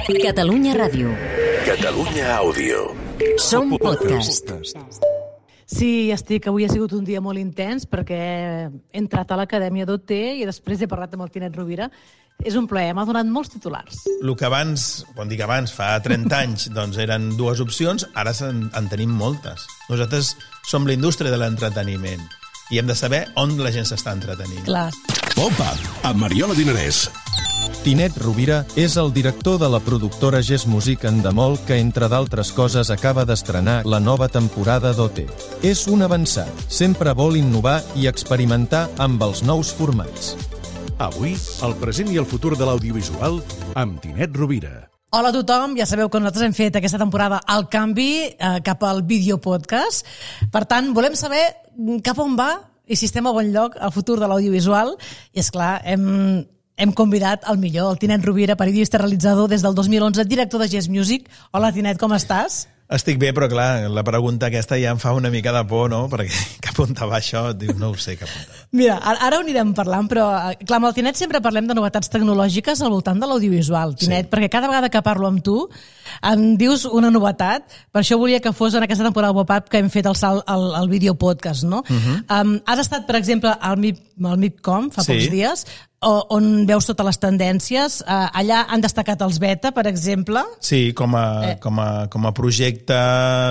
Catalunya Ràdio. Catalunya Àudio. Som podcast. Sí, avui ha sigut un dia molt intens perquè he entrat a l'Acadèmia d'OT i després he parlat amb el Tinet Rovira. És un plaer, m'ha donat molts titulars. El que abans, quan dic abans, fa 30 anys, doncs eren dues opcions, ara en tenim moltes. Nosaltres som la indústria de l'entreteniment i hem de saber on la gent s'està entretenint. Clar. Opa, amb Mariola Dinarès. Tinet Rovira és el director de la productora Gess Music Endemol que, entre d'altres coses, acaba d'estrenar la nova temporada d'OT. És un avançat, sempre vol innovar i experimentar amb els nous formats. Avui, el present i el futur de l'audiovisual amb Tinet Rovira. Hola a tothom, ja sabeu que nosaltres hem fet aquesta temporada el canvi cap al videopodcast. Per tant, volem saber cap on va i si estem a bon lloc el futur de l'audiovisual. I, esclar, hem convidat el millor, el Tinet Rovira, periodista realitzador des del 2011, director de Gess Music. Hola, Tinet, com estàs? Estic bé, però clar, la pregunta aquesta ja em fa una mica de por, no? Perquè cap on va això? Diu, no ho sé cap on va. Mira, ara ho anirem parlant, però clar, amb el Tinet sempre parlem de novetats tecnològiques al voltant de l'audiovisual, Tinet, perquè cada vegada que parlo amb tu em dius una novetat, per això volia que fos en aquesta temporada pop-up que hem fet el salt al videopodcast, no? Has estat, per exemple, al MIPCOM fa pocs dies, on veus totes les tendències. Allà han destacat els beta, per exemple. Sí, com a projecte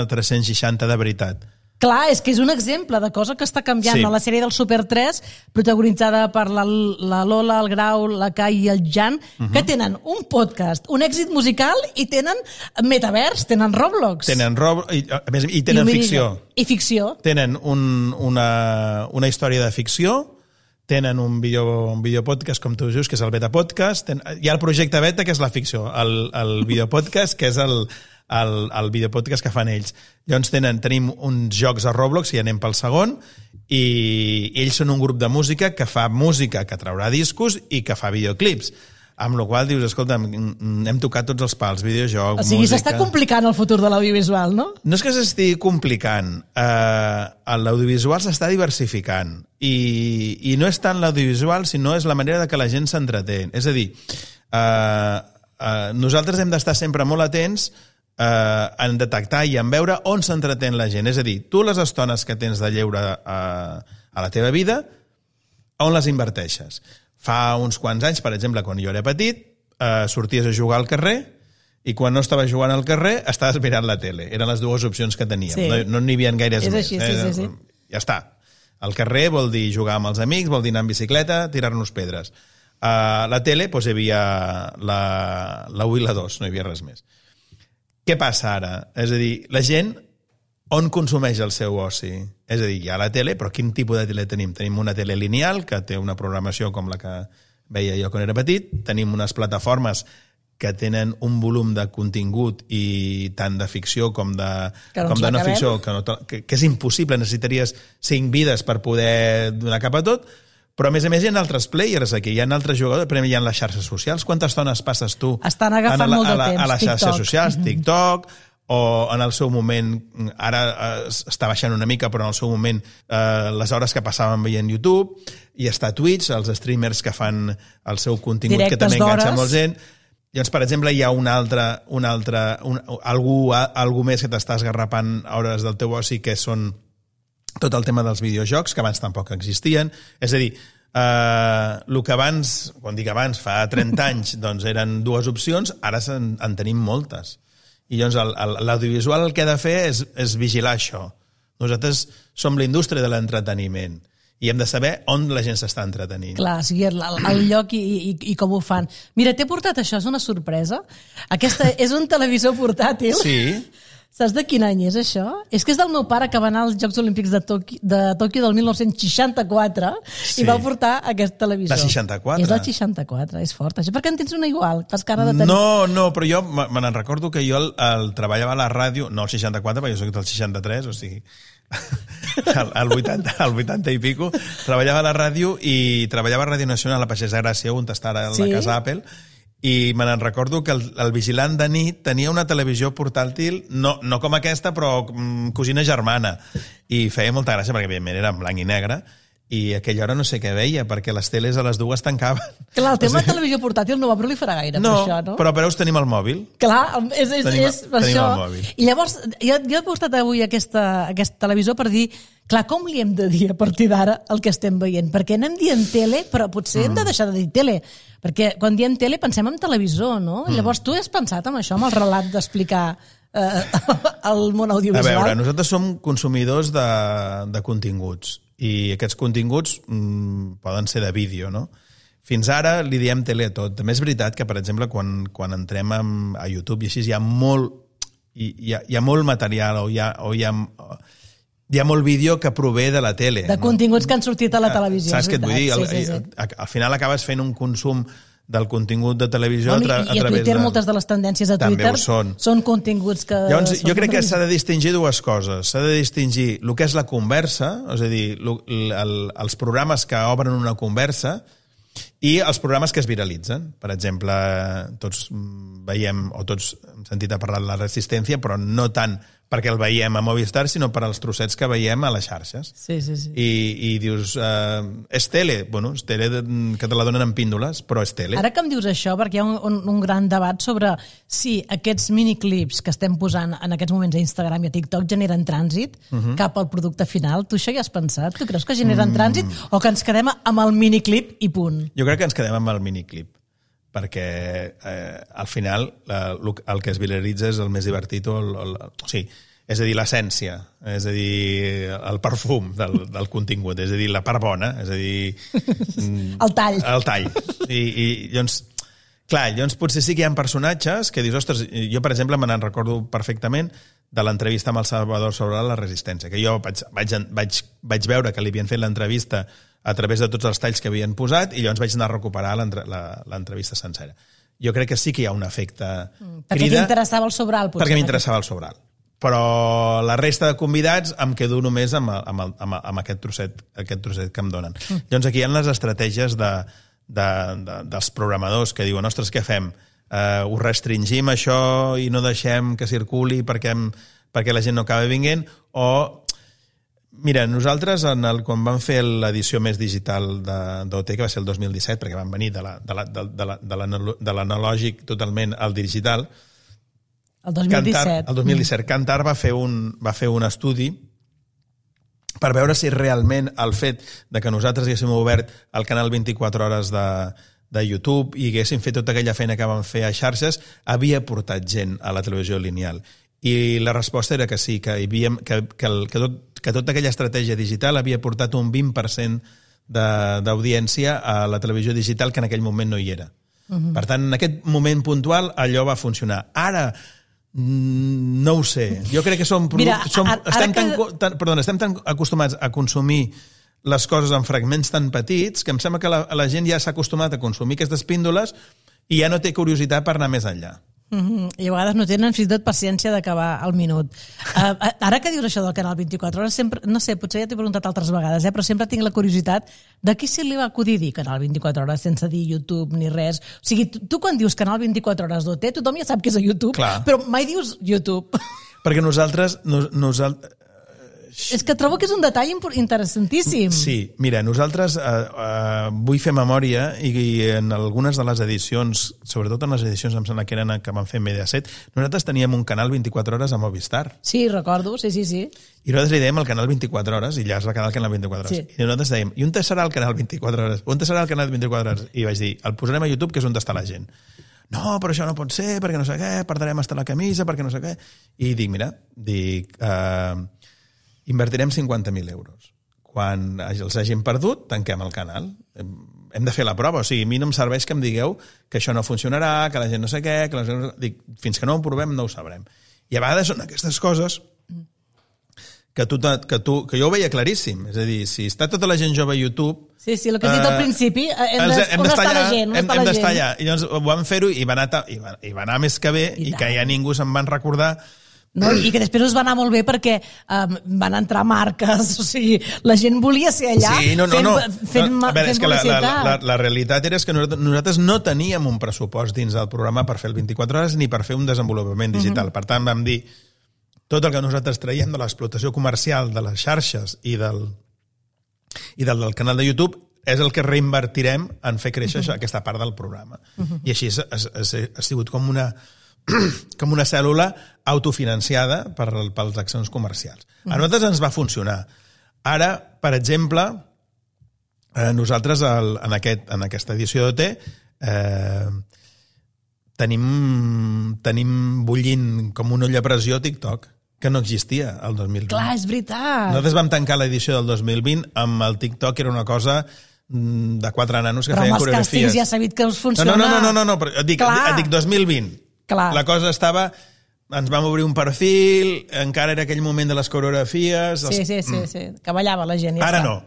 360 de veritat. Clar, és que és un exemple de cosa que està canviant. Sí. La sèrie del Super 3, protagonitzada per la Lola, el Grau, la Kai i el Jan, que tenen un podcast, un èxit musical i tenen metavers, tenen Roblox. I tenen ficció. I ficció. Tenen una història de ficció, tenen un videopodcast, com tu dius, que és el Beta Podcast. Hi ha el projecte Beta, que és la ficció. El videopodcast, que és el videopodcast que fan ells. Llavors tenim uns jocs a Roblox, i anem pel segon, i ells són un grup de música que fa música, que traurà discos i que fa videoclips. Amb la qual dius, escolta, hem tocat tots els pals, videojoc, música... O sigui, s'està complicant el futur de l'audiovisual, no? No és que s'estigui complicant. L'audiovisual s'està diversificant. I no és tant l'audiovisual, sinó és la manera que la gent s'entretén. És a dir, nosaltres hem d'estar sempre molt atents en detectar i en veure on s'entretén la gent. És a dir, tu les estones que tens de lleure a la teva vida, on les inverteixes? Fa uns quants anys, per exemple, quan jo era petit, sorties a jugar al carrer i quan no estaves jugant al carrer estaves mirant la tele. Eren les dues opcions que teníem. Sí. No n'hi havia gaires més. Així, sí. Ja està. Al carrer vol dir jugar amb els amics, vol dir anar en bicicleta, tirar-nos pedres. A la tele doncs, hi havia la 1 i la 2, no hi havia res més. Què passa ara? És a dir, la gent on consumeix el seu oci? És a dir, hi ha la tele, però quin tipus de tele tenim? Tenim una tele lineal, que té una programació com la que veia jo quan era petit, tenim unes plataformes que tenen un volum de contingut i tant de ficció com de no ficció, que és impossible, necessitaries 5 vides per poder donar cap a tot, però a més hi ha altres players aquí, hi ha altres jugadors, per exemple, hi ha les xarxes socials. Quantes estones passes tu estan agafant molt de temps, a les xarxes socials, TikTok, o en el seu moment, ara està baixant una mica, però en el seu moment les hores que passaven veient YouTube, i està Twitch, els streamers que fan el seu contingut, directes que també enganxa molt gent. Llavors, per exemple, hi ha algú més que t'està esgarrapant a hores del teu oci, que són tot el tema dels videojocs, que abans tampoc existien. És a dir, el que abans, quan dic abans, fa 30 anys, doncs eren dues opcions, ara en tenim moltes. I llavors l'audiovisual el que ha de fer és vigilar això. Nosaltres som la indústria de l'entreteniment i hem de saber on la gent s'està entretenint. Clar, o sigui, el lloc i com ho fan. Mira, t'he portat això, és una sorpresa. Aquesta és un televisor portàtil. Sí. Saps de quin any és això? És que és del meu pare, que va anar als Jocs Olímpics de Tòquio del 1964 i va portar aquest televisor. De 64? És del 64, és fort. Això perquè en tens una igual, fas cara de tenir... No, però jo me n'en recordo que jo el treballava a la ràdio, no el 64, perquè jo soc del 63, o sigui... al 80 i pico, treballava a la ràdio i treballava a Ràdio Nacional a Pagès de Gràcia, on està ara la casa Apple, i me n'en recordo que el vigilant de nit tenia una televisió portàtil, no com aquesta, però cosina germana, i feia molta gràcia perquè evidentment era en blanc i negre, i a aquella hora no sé què veia, perquè les teles a les 2 tancaven. Clar, el tema de televisió portàtil no va proliferar gaire per això, no? Però per us tenim el mòbil. Clar, és Tenim això. el mòbil. I llavors, jo he postat avui aquest televisor per dir, clar, com li hem de dir a partir d'ara el que estem veient? Perquè anem dient tele, però potser hem de deixar de dir tele. Perquè quan diem tele pensem en televisor, no? Llavors, tu has pensat en això, amb el relat d'explicar el món audiovisual? A veure, nosaltres som consumidors de continguts i aquests continguts poden ser de vídeo, no? Fins ara li diem tele a tot. També és veritat que, per exemple, quan entrem a YouTube i així hi ha molt material o hi ha molt vídeo que prové de la tele. De continguts que han sortit a la televisió. Saps què et vull dir? Al final acabes fent un consum del contingut de televisió a través de... I a Twitter moltes de les tendències a Twitter són continguts que... Llavors, jo crec que s'ha de distingir dues coses. S'ha de distingir el que és la conversa, és a dir, els programes que obren una conversa i els programes que es viralitzen. Per exemple, tots veiem, o tots hem sentit a parlar de la Resistència, però no tant perquè el veiem a Movistar, sinó per als trossets que veiem a les xarxes. Sí. I dius, és tele? Bueno, és tele que te la donen en píndoles, però és tele. Ara que em dius això, perquè hi ha un gran debat sobre si aquests miniclips que estem posant en aquests moments a Instagram i a TikTok generen trànsit cap al producte final. Tu això ja has pensat? Tu creus que generen trànsit o que ens quedem amb el miniclip i punt? Jo crec que ens quedem amb el miniclip, perquè al final el que es viralitza és el més divertit, és a dir, l'essència, és a dir, el perfum del contingut, és a dir, la part bona, és a dir... El tall. El tall. I llavors, clar, llavors potser sí que hi ha personatges que dius, ostres, jo per exemple me n'en recordo perfectament de l'entrevista amb el Salvador sobre la Resistència, que jo vaig veure que li havien fet l'entrevista a través de tots els talls que havien posat i llavors vaig anar a recuperar l'entrevista sencera. Jo crec que sí que hi ha un efecte crida. Perquè t'interessava el sobral, potser. Perquè m'interessava el sobral. Però la resta de convidats em quedo només amb aquest trosset que em donen. Llavors aquí hi ha les estratègies dels programadors que diuen, ostres, què fem? Ho restringim això i no deixem que circuli perquè la gent no acaba vinguent? O... Mira, nosaltres, quan vam fer l'edició més digital d'OT, que va ser el 2017, perquè vam venir de l'analògic totalment al digital, el 2017. El 2017. Kantar va fer un estudi per veure si realment el fet de que nosaltres haguéssim obert el canal 24 hores de YouTube i haguéssim fet tota aquella feina que vam fer a xarxes havia portat gent a la televisió lineal. I la resposta era que sí, que tota aquella estratègia digital havia portat un 20% d'audiència a la televisió digital que en aquell moment no hi era. Per tant, en aquest moment puntual allò va funcionar. Ara, no ho sé. Jo crec que estem tan acostumats a consumir les coses en fragments tan petits que em sembla que la gent ja s'ha acostumat a consumir aquestes píndoles i ja no té curiositat per anar més enllà. I a vegades no tenen fins i tot paciència d'acabar el minut. Ara que dius això del canal 24 hores, sempre, no sé, potser ja t'he preguntat altres vegades, però sempre tinc la curiositat de qui se li va acudir dir canal 24 hores sense dir YouTube ni res. O sigui, tu quan dius canal 24 hores d'OT, tothom ja sap que és a YouTube, clar, però mai dius YouTube. Perquè nosaltres és que trobo que és un detall interessantíssim. Sí, mira, nosaltres vull fer memòria i en algunes de les edicions, sobretot en les edicions em sembla que eren que van fer Mediaset, nosaltres teníem un canal 24 hores a Movistar. Sí, recordo, sí. I nosaltres li dèiem el canal 24 hores i ja es va quedar el canal 24 hores. Sí. I nosaltres dèiem, i on serà el canal 24 hores? On serà el canal 24 hores? I vaig dir, el posarem a YouTube, que és on està la gent. No, però això no pot ser, perquè no sé què, perdrem hasta la camisa, perquè no sé què. I dic, mira, invertirem 50.000 euros. Quan els hagin perdut, tanquem el canal. Hem de fer la prova. O sigui, a mi no em serveix que em digueu que això no funcionarà, que la gent no sé què... Dic, fins que no ho provem no ho sabrem. I a vegades són aquestes coses que jo ho veia claríssim. És a dir, si està tota la gent jove a YouTube... Sí, el que has dit al principi, on està la gent? Hem d'estar allà. I llavors vam fer-ho i va anar més que bé i que ja ningú se'n van recordar. No? I que després us va anar molt bé perquè van entrar marques, o sigui, la gent volia ser allà fent publicitat. La realitat era que nosaltres no teníem un pressupost dins del programa per fer el 24 hores ni per fer un desenvolupament digital. Per tant, vam dir, tot el que nosaltres traiem de l'explotació comercial de les xarxes i I del canal de YouTube és el que reinvertirem en fer créixer aquesta part del programa. I així ha sigut com una cèl·lula autofinanciada pels accions comercials. A nosaltres ens va funcionar. Ara, per exemple, nosaltres en aquesta edició d'OT tenim bullint com una olla a pressió TikTok, que no existia el 2020. Clar, és veritat. Nosaltres vam tancar l'edició del 2020 amb el TikTok, que era una cosa de 4 nanos que feien coreografies. Però amb els càstings ja s'ha vist que us funciona. No, però et dic 2020. Clar. La cosa estava... Ens vam obrir un perfil, encara era aquell moment de les coreografies... Sí, que ballava la gent. Ara no.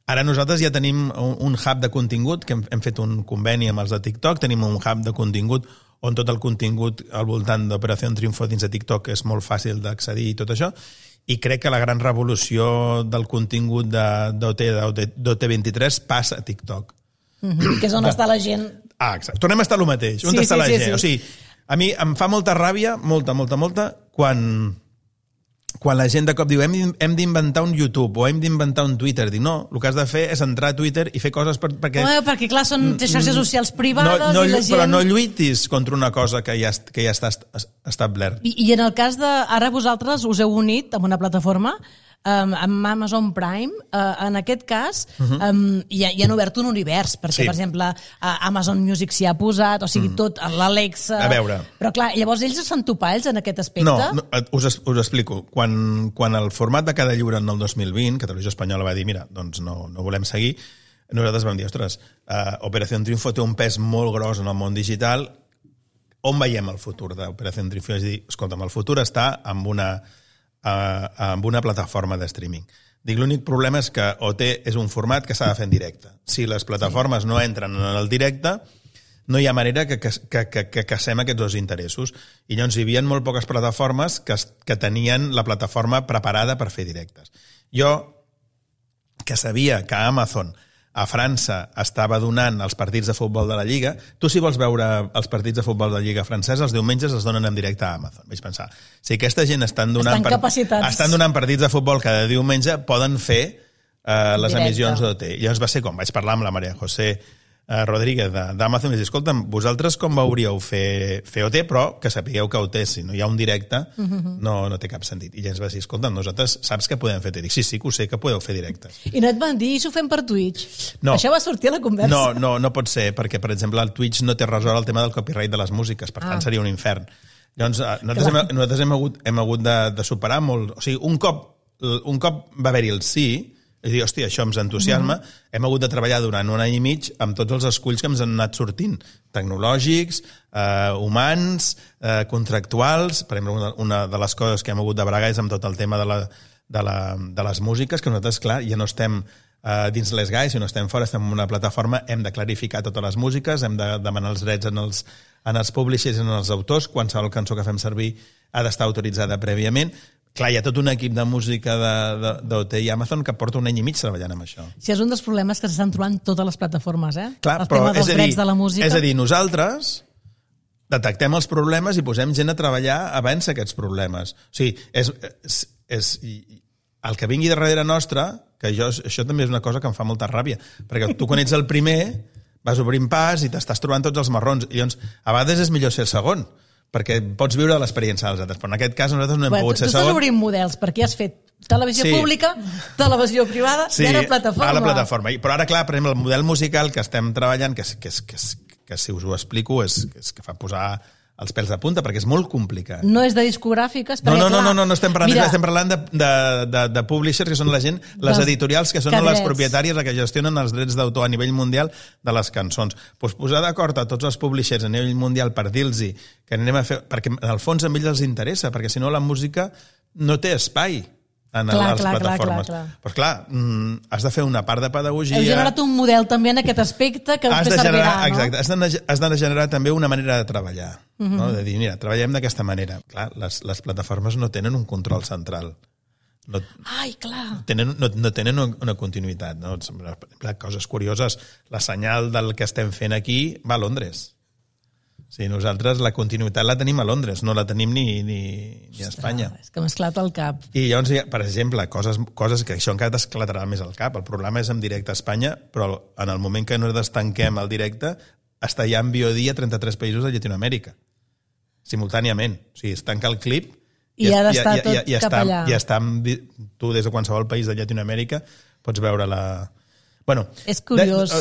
Ara nosaltres ja tenim un hub de contingut, que hem fet un conveni amb els de TikTok, tenim un hub de contingut on tot el contingut al voltant d'Operació Triunfo dins de TikTok és molt fàcil d'accedir i tot això, i crec que la gran revolució del contingut d'OT23 passa a TikTok. Que és on està la gent. Exacte. Tornem a estar el mateix. On està la gent? Sí. O sigui, a mi em fa molta ràbia, molta, quan la gent de cop diu hem d'inventar un YouTube o hem d'inventar un Twitter. Dic, no, el que has de fer és entrar a Twitter i fer coses perquè... Perquè clar, són xarxes socials privades i la gent... Però no lluitis contra una cosa que ja està establert. I en el cas de... Ara vosaltres us heu unit amb una plataforma amb Amazon Prime, en aquest cas ja han obert un univers, perquè, per exemple, Amazon Music s'hi ha posat, o sigui, tot, l'Alexa... A veure... Però, clar, llavors ells són topalls en aquest aspecte? No, us explico. Quan el format de cada lliure en el 2020, Televisió Espanyola va dir, mira, doncs no volem seguir, nosaltres vam dir, ostres, Operació Triunfo té un pes molt gros en el món digital, on veiem el futur d'Operació Triunfo? És a dir, escolta'm, el futur està amb una plataforma de streaming. Dic, l'únic problema és que OT és un format que s'ha de fer en directe. Si les plataformes no entren en el directe, no hi ha manera que casem aquests dos interessos. I llavors hi havia molt poques plataformes que tenien la plataforma preparada per fer directes. Jo, que sabia que Amazon a França estava donant els partits de futbol de la Lliga, tu si vols veure els partits de futbol de la Lliga francesa, els diumenges els donen en directe a Amazon. Vaig pensar, si aquesta gent estan donant partits de futbol cada diumenge, poden fer les emissions d'OT. I llavors va ser com, vaig parlar amb la Maria José Rodríguez d'Amazon i vaig dir, escolta'm, vosaltres com veuríeu fer OT, però que sapigueu que OT, si no hi ha un directe, no té cap sentit. I llavors va dir, escolta'm, nosaltres saps que podem fer OT? Dic, sí, que ho sé, que podeu fer directes. I no et van dir, i s'ho fem per Twitch? No. Això va sortir a la conversa. No pot ser, perquè, per exemple, el Twitch no té resolt el tema del copyright de les músiques, per tant seria un infern. Llavors, nosaltres hem hagut de superar molt... O sigui, un cop va haver-hi el sí, és dir, hòstia, això ens entusiasma, hem hagut de treballar durant un any i mig amb tots els esculls que ens han anat sortint, tecnològics, humans, contractuals. Per exemple, una de les coses que hem hagut de bregar és amb tot el tema de les músiques, que nosaltres, clar, ja no estem dins les GAE, si no estem fora, estem en una plataforma, hem de clarificar totes les músiques, hem de demanar els drets en els publishers i en els autors, qualsevol cançó que fem servir ha d'estar autoritzada prèviament. Clar, hi ha tot un equip de música d'OT i Amazon que porta un any i mig treballant amb això. Sí, és un dels problemes que s'estan trobant totes les plataformes, Clar, el tema dels drets de la música. És a dir, nosaltres detectem els problemes i posem gent a treballar a vèncer aquests problemes. O sigui, és el que vingui darrere nostra, que això també és una cosa que em fa molta ràbia, perquè tu quan ets el primer vas obrint pas i t'estàs trobant tots els marrons, i llavors a vegades és millor ser el segon, perquè pots viure l'experiència dels altres. Però en aquest cas nosaltres no hem pogut ser segon. Tu estàs obrint models, perquè has fet televisió pública, televisió privada i ara plataforma. Sí, ara plataforma. Però ara, clar, per exemple, el model musical que estem treballant, que si us ho explico, és que fa posar els pèls de punta, perquè és molt complicat. No és de discogràfiques? No estem parlant d'això, estem parlant de publishers, que són la gent, les editorials, que són les propietàries que gestionen els drets d'autor a nivell mundial de les cançons. Doncs posar d'acord a tots els publishers a nivell mundial per dir-los que anem a fer... Perquè en el fons a ells els interessa, perquè si no la música no té espai a les plataformes. Però clar, has de fer una part de pedagogia... Heu generat un model també en aquest aspecte que després servirà, no? Exacte, has de generar també una manera de treballar, no? De dir, mira, treballem d'aquesta manera. Clar, les plataformes no tenen un control central. Ai, clar. No tenen una continuïtat, no? Per exemple, coses curioses, la senyal del que estem fent aquí va a Londres. Sí, nosaltres la continuïtat la tenim a Londres, no la tenim ni a Espanya. És que m'ha esclat al cap. I llavors, per exemple, coses que això encara t'esclatarà més al cap. El problema és en directe a Espanya, però en el moment que nosaltres tanquem el directe, està ja en VOD a 33 països de Llatinoamèrica, simultàniament. O sigui, es tanca el clip i ha d'estar tot cap allà. Tu, des de qualsevol país de Llatinoamèrica, pots veure la... Bueno, és curiós.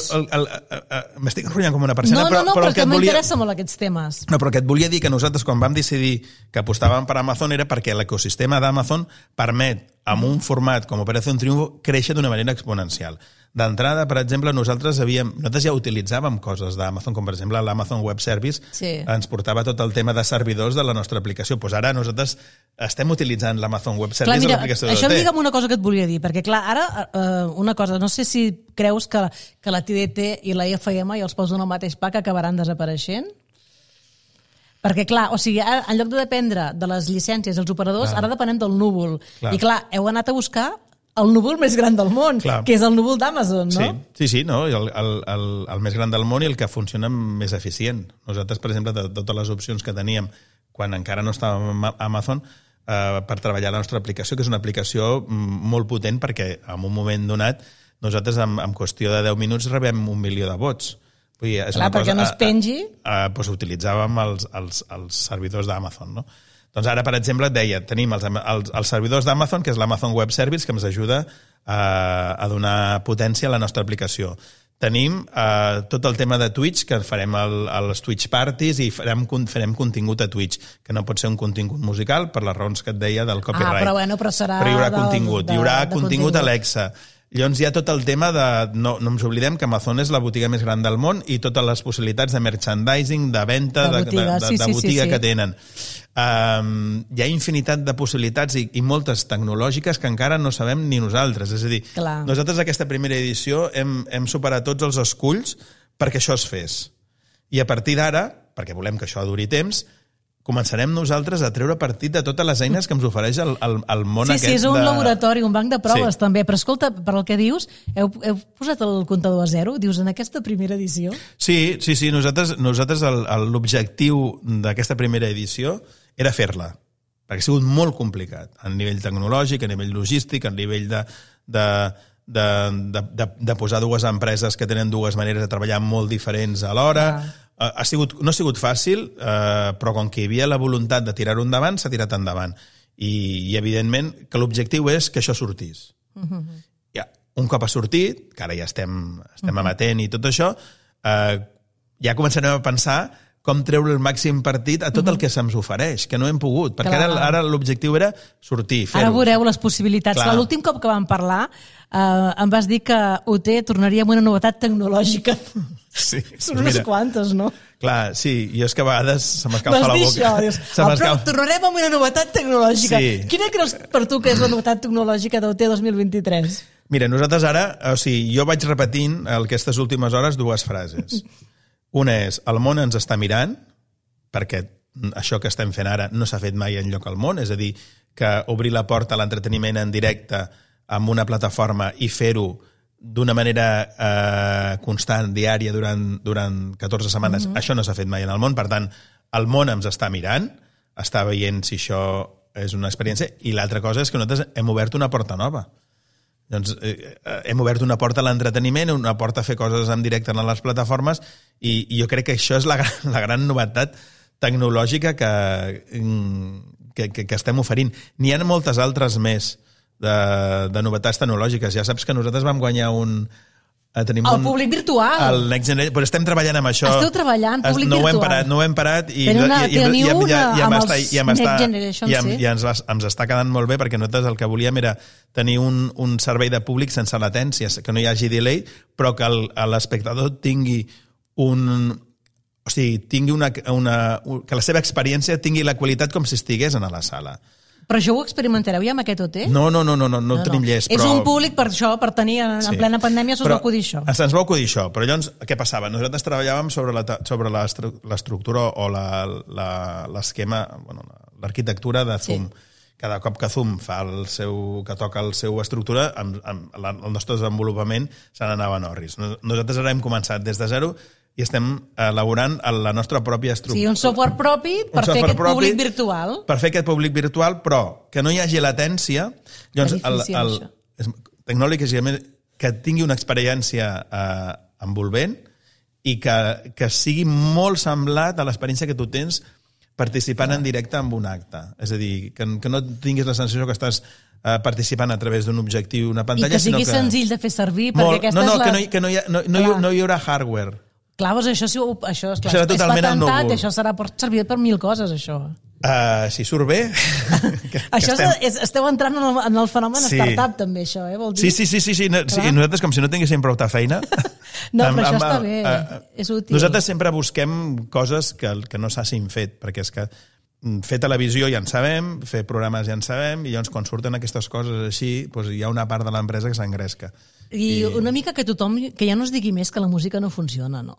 M'estic enrotllant com una persona, no, però que m'interessa molt aquests temes. No, però que et volia dir que nosaltres, quan vam decidir que apostàvem per Amazon, era perquè l'ecosistema d'Amazon permet, amb un format com Operación Triunfo, créixer d'una manera exponencial. D'entrada, per exemple, nosaltres ja utilitzàvem coses d'Amazon, com per exemple l'Amazon Web Service, ens portava tot el tema de servidors de la nostra aplicació. Doncs ara nosaltres estem utilitzant l'Amazon Web Service a l'aplicació de Això em digue una cosa que et volia dir, perquè clar, ara una cosa, no sé si creus que la TDT i la IFM, i els poso en el mateix pack, acabaran desapareixent? Perquè, clar, o sigui, ara, en lloc de dependre de les llicències dels operadors, ara depenem del núvol. I, clar, heu anat a buscar el núvol més gran del món, que és el núvol d'Amazon, no? Sí, no? El més gran del món i el que funciona més eficient. Nosaltres, per exemple, de totes les opcions que teníem quan encara no estàvem a Amazon, per treballar la nostra aplicació, que és una aplicació molt potent perquè en un moment donat nosaltres en qüestió de 10 minuts rebem 1 milió de vots. Vull dir, clar, perquè no es pengi. Doncs utilitzàvem els servidors d'Amazon, no? Doncs ara, per exemple, et deia, tenim els servidors d'Amazon, que és l'Amazon Web Service, que ens ajuda a donar potència a la nostra aplicació. Tenim tot el tema de Twitch, que farem els Twitch parties i farem contingut a Twitch, que no pot ser un contingut musical, per les raons que et deia del copyright. Però serà... Però hi haurà contingut. Hi haurà contingut Alexa. Llavors hi ha tot el tema de... No ens oblidem que Amazon és la botiga més gran del món i totes les possibilitats de merchandising, de venda, de botiga que tenen. Hi ha infinitat de possibilitats i moltes tecnològiques que encara no sabem ni nosaltres. És a dir, nosaltres aquesta primera edició hem superat tots els esculls perquè això es fes. I a partir d'ara, perquè volem que això duri temps, començarem nosaltres a treure partit de totes les eines que ens ofereix el món aquest. Sí, és un laboratori, un banc de proves també. Però escolta, per el que dius, heu posat el comptador a zero? Dius, en aquesta primera edició? Sí. Nosaltres l'objectiu d'aquesta primera edició era fer-la, perquè ha sigut molt complicat a nivell tecnològic, a nivell logístic, a nivell de posar dues empreses que tenen dues maneres de treballar molt diferents alhora. No ha sigut fàcil, però com que hi havia la voluntat de tirar-ho endavant, s'ha tirat endavant. I evidentment, que l'objectiu és que això sortís. Un cop ha sortit, que ara ja estem amatent i tot això, ja començarem a pensar com treure el màxim partit a tot el que se'ns ofereix, que no hem pogut, perquè ara l'objectiu era sortir, fer-ho. Ara veureu les possibilitats. L'últim cop que vam parlar em vas dir que UT tornaria amb una novetat tecnològica. Sí. Són unes quantes, no? Clar, sí, i és que a vegades se m'escalfa la boca. Però tornarem amb una novetat tecnològica. Quina creus per tu que és la novetat tecnològica d'UT 2023? Mira, nosaltres ara, jo vaig repetint aquestes últimes hores dues frases. Una és, el món ens està mirant, perquè això que estem fent ara no s'ha fet mai enlloc al món, és a dir, que obrir la porta a l'entreteniment en directe amb una plataforma i fer-ho d'una manera constant, diària, durant 14 setmanes, això no s'ha fet mai en el món. Per tant, el món ens està mirant, està veient si això és una experiència, i l'altra cosa és que nosaltres hem obert una porta nova. Doncs hem obert una porta a l'entreteniment, una porta a fer coses en directe en les plataformes, i jo crec que això és la gran novetat tecnològica que estem oferint. N'hi ha moltes altres més de novetats tecnològiques. Ja saps que nosaltres vam guanyar tenim el públic virtual. El Next Generation, però estem treballant amb això. Esteu treballant, públic virtual. No ho hem parat i ens està quedant molt bé, perquè nosaltres el que volíem era tenir un servei de públic sense latència, que no hi hagi delay, però que l'espectador tingui que la seva experiència tingui la qualitat com si estigués a la sala. Però això ho experimentareu ja amb aquest OT? No tenim llest. És un públic per això, per tenir en plena pandèmia, se'ns va acudir això. Se'ns va acudir això, però llavors què passava? Nosaltres treballàvem sobre l'estructura o l'esquema, l'arquitectura de Zoom. Cada cop que Zoom que toca la seva estructura, el nostre desenvolupament se n'anava en orris. Nosaltres ara hem començat des de zero, i estem elaborant la nostra pròpia estructura. Sí, un software propi per fer aquest públic virtual. Per fer aquest públic virtual, però que no hi hagi latència. Llavors, tecnològic que tingui una experiència envolvent i que sigui molt semblat a l'experiència que tu tens participant en directe en un acte. És a dir, que no tinguis la sensació que estàs participant a través d'un objectiu, una pantalla, i que sigui senzill de fer servir, perquè aquesta no hi haurà hardware. Clar, doncs això és patentat, això serà servir per 1000 coses, això. Si surt bé... Esteu entrant en el fenomen startup, també, això, vol dir? Sí. Nosaltres, com si no tinguéssim prou feina... No, però això està bé, és útil. Nosaltres sempre busquem coses que no s'hagin fet, perquè és que fer televisió ja en sabem, fer programes ja en sabem, i llavors quan surten aquestes coses així, doncs hi ha una part de l'empresa que s'engresca. I una mica que ja no es digui més que la música no funciona, no?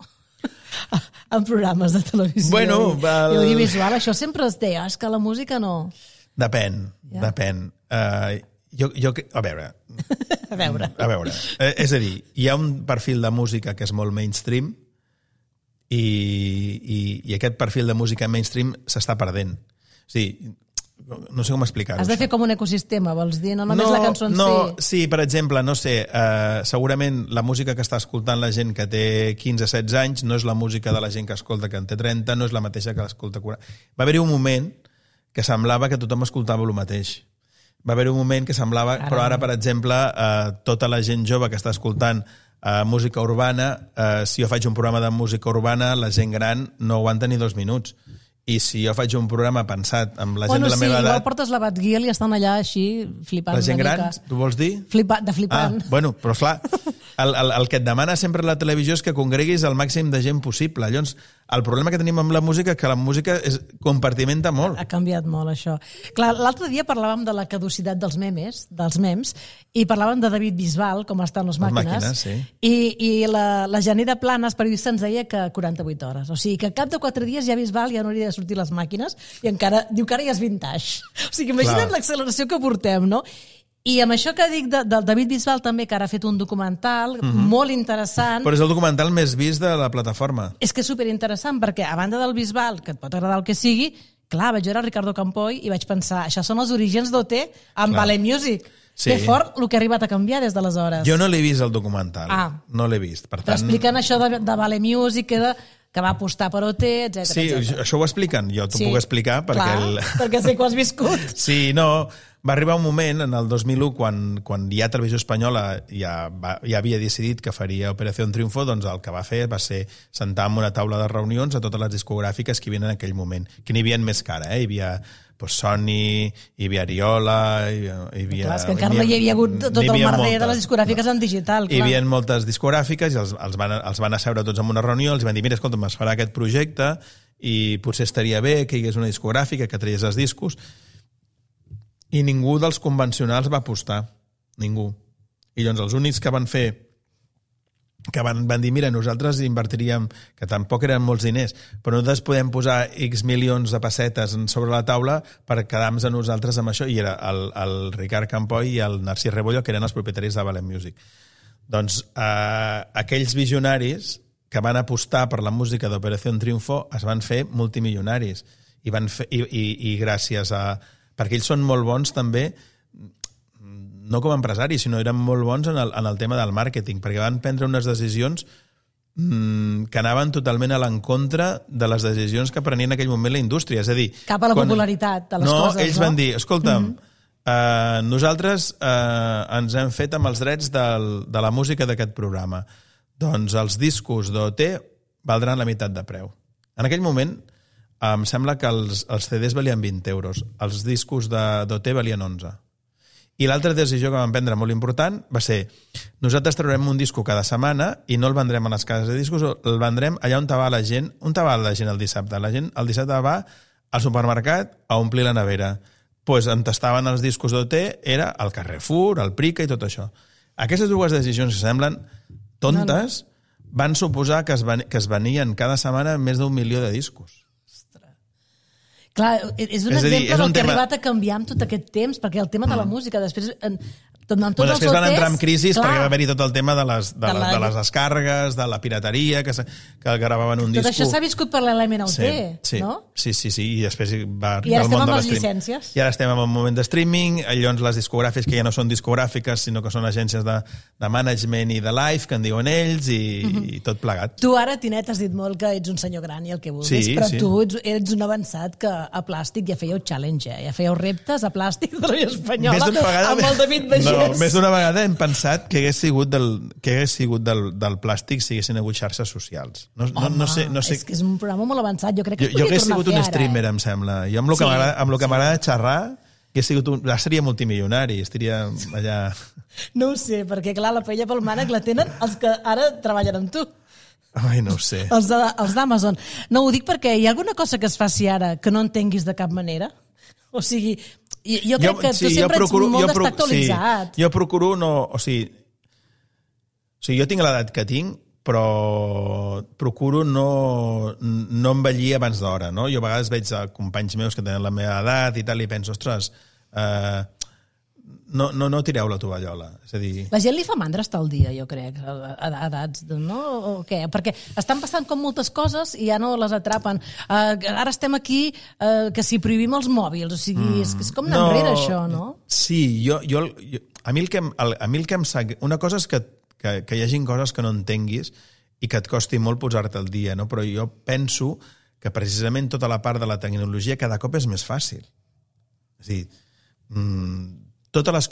En programes de televisió i audiovisual, això sempre es deia, és que la música no... Depèn. A veure. És a dir, hi ha un perfil de música que és molt mainstream i aquest perfil de música mainstream s'està perdent. O sigui, no sé com explicar-ho. Has de fer com un ecosistema, vols dir? No només la cançó en si. Sí, per exemple, no sé, segurament la música que està escoltant la gent que té 15-16 anys no és la música de la gent que escolta que en té 30, no és la mateixa que l'escolta 40. Va haver-hi un moment que semblava que tothom escoltava el mateix. Va haver-hi un moment que semblava... Però ara, per exemple, tota la gent jove que està escoltant música urbana, si jo faig un programa de música urbana, la gent gran no aguanta ni 2 minuts. I si jo faig un programa pensat amb la gent de la meva edat... Igual portes la Batguiel i estan allà així flipant una mica. La gent gran, tu vols dir? De flipant. Bueno, però esclar, el que et demana sempre la televisió és que congreguis el màxim de gent possible. Llavors, el problema que tenim amb la música és que la música compartimenta molt. Ha canviat molt, això. Clar, l'altre dia parlàvem de la caducitat dels memes, i parlàvem de David Bisbal, com estan les màquines, sí. I la Janira Planas, periodista, ens deia que 48 hores. O sigui, que al cap de 4 dies ja Bisbal ja no hauria de sortir les màquines i encara diu que ara ja és vintage. O sigui, imagina't l'acceleració que portem, no? I amb això que dic del David Bisbal també, que ara ha fet un documental molt interessant. Però és el documental més vist de la plataforma. És que és superinteressant, perquè a banda del Bisbal, que et pot agradar el que sigui, clar, vaig veure Ricardo Campoy i vaig pensar, això són els orígens d'OT amb Ballet Music. Sí. Que fort el que ha arribat a canviar des d'aleshores. Jo no l'he vist, el documental. No l'he vist. Per tant... Però expliquen això de Ballet Music, que va apostar per OT, etc. Sí, això ho expliquen. Jo t'ho puc explicar perquè... Clar, perquè sé que ho has viscut. Sí, no... Va arribar un moment, en el 2001, quan ja Televisió Espanyola ja havia decidit que faria Operació Triunfo, doncs el que va fer va ser sentar en una taula de reunions a totes les discogràfiques que hi havia en aquell moment, que n'hi havia més cara, Hi havia Sony, hi havia Ariola, hi havia... Clar, és que encara no hi havia hagut tot el merder de les discogràfiques en digital. Hi havia moltes discogràfiques i els van asseure tots en una reunió, els van dir, mira, escolta'm, es farà aquest projecte i potser estaria bé que hi hagués una discogràfica que traies els discos. I ningú dels convencionals va apostar. Ningú. I llavors els únics que van fer, que van dir, mira, nosaltres invertiríem, que tampoc eren molts diners, però nosaltres podem posar X milions de pessetes sobre la taula per quedar-nos a nosaltres amb això, i era el Ricard Campoy i el Narcís Rebollo, que eren els propietaris de Ballet Music. Doncs aquells visionaris que van apostar per la música d'Operació Triunfo es van fer multimilionaris. I gràcies a... Perquè ells són molt bons també, no com a empresaris, sinó eren molt bons en el tema del màrqueting, perquè van prendre unes decisions que anaven totalment a l'encontra de les decisions que prenia en aquell moment la indústria. És a dir... Cap a la popularitat de les coses, no? Ells van dir, escolta'm, nosaltres ens hem fet amb els drets de la música d'aquest programa. Doncs els discos d'OT valdran la meitat de preu. En aquell moment... Em sembla que els CDs valien 20 euros, els discos d'OT valien 11. I l'altra decisió que vam prendre molt important va ser, nosaltres traurem un disco cada setmana i no el vendrem a les cases de discos, el vendrem allà on va la gent. On va la gent el dissabte? La gent el dissabte va al supermercat a omplir la nevera. Doncs on estaven els discos d'OT era el Carrefour, el Prica i tot això. Aquestes dues decisions que semblen tontes van suposar que es venien cada setmana més d'1 milió de discos. Clar, és un exemple del que ha arribat a canviar amb tot aquest temps, perquè el tema de la música, després Després van entrar en crisi perquè va haver-hi tot el tema de les descàrregues, de la pirateria, que gravaven un disc. Tot això s'ha viscut paral·lelament al T, no? Sí, i després va I ara arribar el món de estem amb les l'streaming. llicències. I ara estem en un moment de streaming, llavors les discogràfiques que ja no són discogràfiques, sinó que són agències de management i de live, que en diuen ells, i tot plegat. Tu ara, Tinet, has dit molt que ets un senyor gran i el que vulguis, però tu ets un avançat que a Plàstic ja fèieu challenge, ja fèieu reptes a Plàstic de la Espanyola amb el David Bagés. No, més d'una vegada hem pensat que hagués sigut del Plàstic si haguessin hagut xarxes socials. No sé. És que és un programa molt avançat, jo crec que jo hagués sigut un streamer, em sembla. Jo amb el que m'agrada xerrar, seria multimilionari, estaria allà... No ho sé, perquè clar, la paella pel mànec la tenen els que ara treballen amb tu. Ai, no ho sé. Els d'Amazon. No, ho dic perquè hi ha alguna cosa que es faci ara que no entenguis de cap manera? O sigui, jo crec que tu sempre ets molt d'estar actualitzat. Jo procuro no... O sigui, jo tinc l'edat que tinc, però procuro no envellir abans d'hora, no? Jo a vegades veig companys meus que tenen la meva edat i tal, i penso, ostres, no tireu la tovallola. És a dir... La gent li fa mandra estar al dia, jo crec, a edats, no? O què? Perquè estan passant com moltes coses i ja no les atrapen. Ara estem aquí que si prohibim els mòbils, o sigui, és com anar enrere, això, no? Sí, a mi el que em sap... Una cosa és que hi hagin coses que no entenguis i que et costi molt posar-te al dia, no? Però jo penso que precisament tota la part de la tecnologia cada cop és més fàcil. És a dir, tots els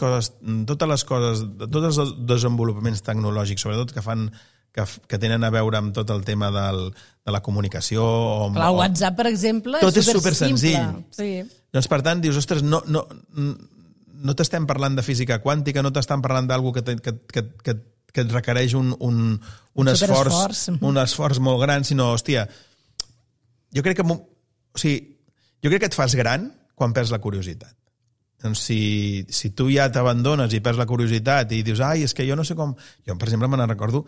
desenvolupaments tecnològics, sobretot que tenen a veure amb tot el tema de la comunicació... Clar, WhatsApp, per exemple, tot és supersenzill. Sí. Doncs, per tant, dius, ostres, no t'estem parlant de física quàntica, no t'estem parlant d'alguna que et requereix un esforç molt gran, sinó, hòstia, jo crec que et fas gran quan perds la curiositat. Doncs si tu ja t'abandones i perds la curiositat i dius, ai, és que jo no sé com... Jo, per exemple, me recordo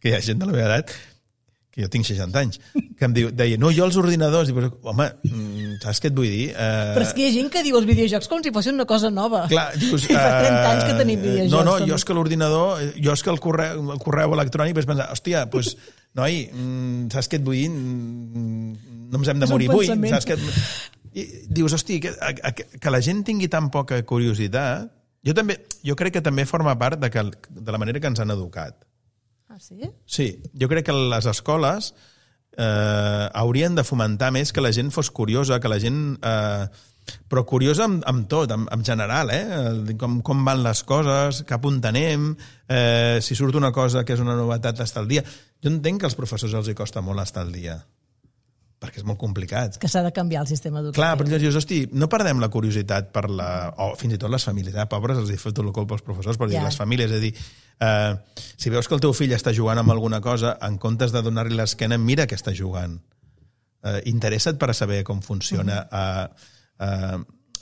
que hi ha gent de la meva edat, que jo tinc 60 anys, que em deia, no, jo els ordinadors... I, home, saps què et vull dir? Però és que hi ha gent que diu els videojocs com si fossin una cosa nova. Clar, dius... I fa 30 anys que tenim videojocs. No, jo és que l'ordinador... Jo és que el correu electrònic vaig pensar, hòstia, doncs, noi, saps què et vull dir? No ens hem de morir avui. Saps què... I dius, hosti, que la gent tingui tan poca curiositat, jo crec que també forma part de la manera que ens han educat. Ah, sí? Sí, jo crec que les escoles haurien de fomentar més que la gent fos curiosa, que la gent... però curiosa amb tot, en general, com van les coses, cap on anem, si surt una cosa que és una novetat, estar al dia. Jo entenc que als professors els costa molt estar al dia, perquè és molt complicat. Que s'ha de canviar el sistema educatiu. Clar, però dius, hosti, no perdem la curiositat per o fins i tot les famílies, pobres, els hi foto el colp als professors, però les famílies, és a dir, si veus que el teu fill està jugant amb alguna cosa, en comptes de donar-li l'esquena, mira que està jugant. Interessa't per saber com funciona. Jo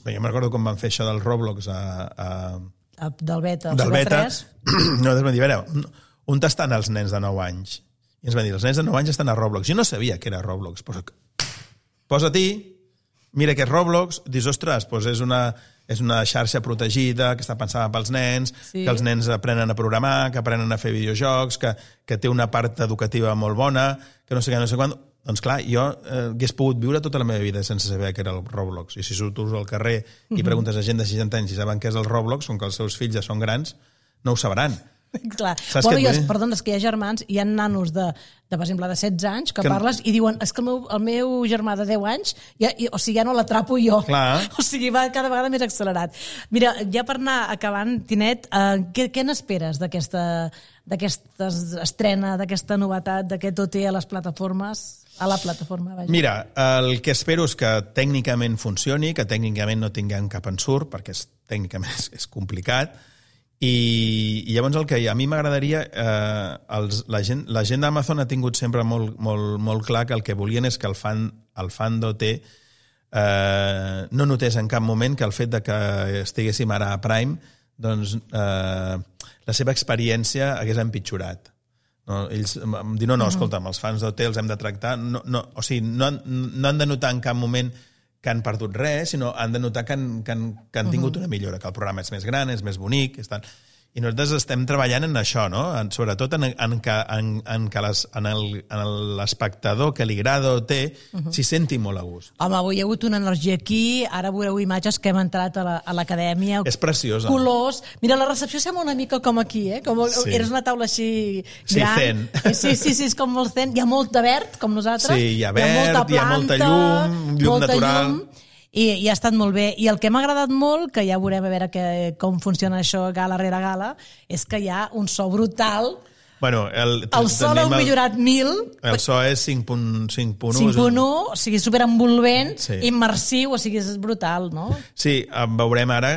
me'n recordo quan van fer això del Roblox del beta, del beta. No, vam dir, a veure, on estan els nens de 9 anys? I ens van dir, els nens de 9 anys estan a Roblox. Jo no sabia que era Roblox. Posa-t'hi, mira que és Roblox, dius, ostres, és una xarxa protegida que està pensada pels nens, que els nens aprenen a programar, que aprenen a fer videojocs, que té una part educativa molt bona, que no sé què, no sé quan... Doncs clar, jo hagués pogut viure tota la meva vida sense saber què era el Roblox. I si surtos al carrer i preguntes a gent de 60 anys si saben què és el Roblox, com que els seus fills ja són grans, no ho sabran. Clar. Perdó, és que hi ha germans, hi ha nanos de per exemple, de 16 anys que parles i diuen, és que el meu germà de 10 anys ja no l'atrapo jo. Clar. O sigui, va cada vegada més accelerat. Mira, ja per anar acabant, Tinet, què n'esperes d'aquesta estrena, d'aquesta novetat, d'aquest OT a les plataformes? A la plataforma, vaja. Mira, el que espero és que tècnicament funcioni, que tècnicament no tinguem cap ensurt, perquè tècnicament és complicat. I llavors el que a mi m'agradaria, la gent d'Amazon ha tingut sempre molt clar que el que volien és que el fan d'OT no notés en cap moment que el fet de que estiguéssim ara a Prime, doncs la seva experiència hagués empitjorat. No? Ells em diuen, escolta'm, els fans d'OT els hem de tractar, o sigui, no han de notar en cap moment que han perdut res, sinó han de notar que han tingut una millora, que el programa és més gran, és més bonic, i nosaltres estem treballant en això, no? Sobretot en que l'espectador que li agrada o té s'hi senti molt a gust. Home, avui hi ha hagut una energia aquí, ara veureu imatges que hem entrat a l'acadèmia. És preciosa. Colors. Mira, la recepció sembla una mica com aquí, com eres una taula així gran. Sí, Sí, és com molt zen. Hi ha molt de verd, com nosaltres. Sí, hi ha verd, hi ha molta llum natural. I ha estat molt bé. I el que m'ha agradat molt, que ja veurem a veure com funciona això gala rere gala, és que hi ha un so brutal. Bueno, el so l'heu millorat 1000. El so és 5.1. 5.1, o sigui, superenvolvent, immersiu, o sigui, és brutal, no? Sí, veurem ara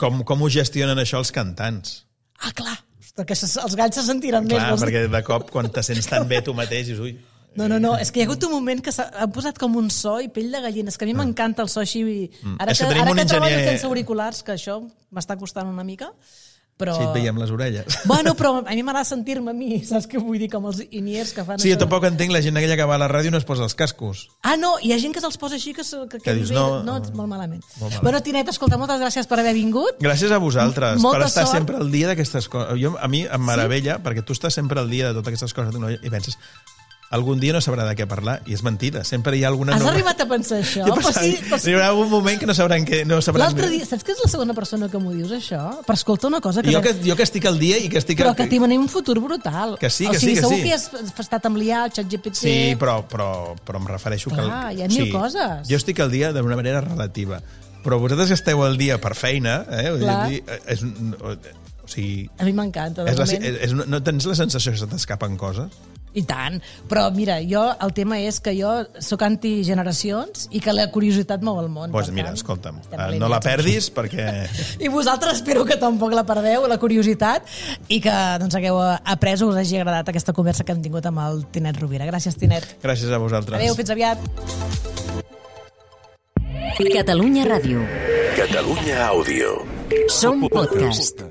com ho gestionen això els cantants. Ah, clar, perquè els galls se sentiran més. Clar, perquè de cop, quan te sents tan bé tu mateix, dius, ui... No, és que hi ha hagut un moment que s'ha posat com un so i pell de gallina. És que a mi m'encanta el so així. Ara que treballo sense auriculars, que això m'està costant una mica, però... Sí, et veiem les orelles. Bueno, però a mi m'agrada sentir-me a mi, saps què vull dir? Com els iniers que fan sí, això. Jo tampoc entenc la gent aquella que va a la ràdio i no es posa els cascos. Ah, no, hi ha gent que se'ls posa així que dius, no, molt malament. Bueno, Tinet, escolta, moltes gràcies per haver vingut. Gràcies a vosaltres per estar sort. sempre al dia d'aquestes coses. A mi em meravella, perquè tu estàs sempre al dia de totes aquestes coses i penses... Algun dia no sabrà de què parlar, i és mentida. Sempre hi ha alguna... Has arribat a pensar això? Hi haurà un moment que no sabran què... L'altre dia, saps que és la segona persona que m'ho dius, això? Però escolta una cosa... Jo que estic al dia i que estic... Però que tenim un futur brutal. Que sí. O sigui, segur que has estat amb l'IA, el ChatGPT... Sí, però em refereixo que... Clar, hi ha mil coses. Jo estic al dia d'una manera relativa. Però vosaltres que esteu al dia per feina... O sigui... A mi m'encanta. No tens la sensació que se t'escapen coses? I tant, però mira, el tema és que jo sóc antigeneracions i que la curiositat mou el món. Doncs mira, escolta'm, no la perdis perquè... I vosaltres espero que tampoc la perdeu, la curiositat, i que hagueu après o us hagi agradat aquesta conversa que hem tingut amb el Tinet Rovira. Gràcies, Tinet. Gràcies a vosaltres. Adéu, fins aviat. Catalunya Ràdio. Catalunya Àudio. Som podcast.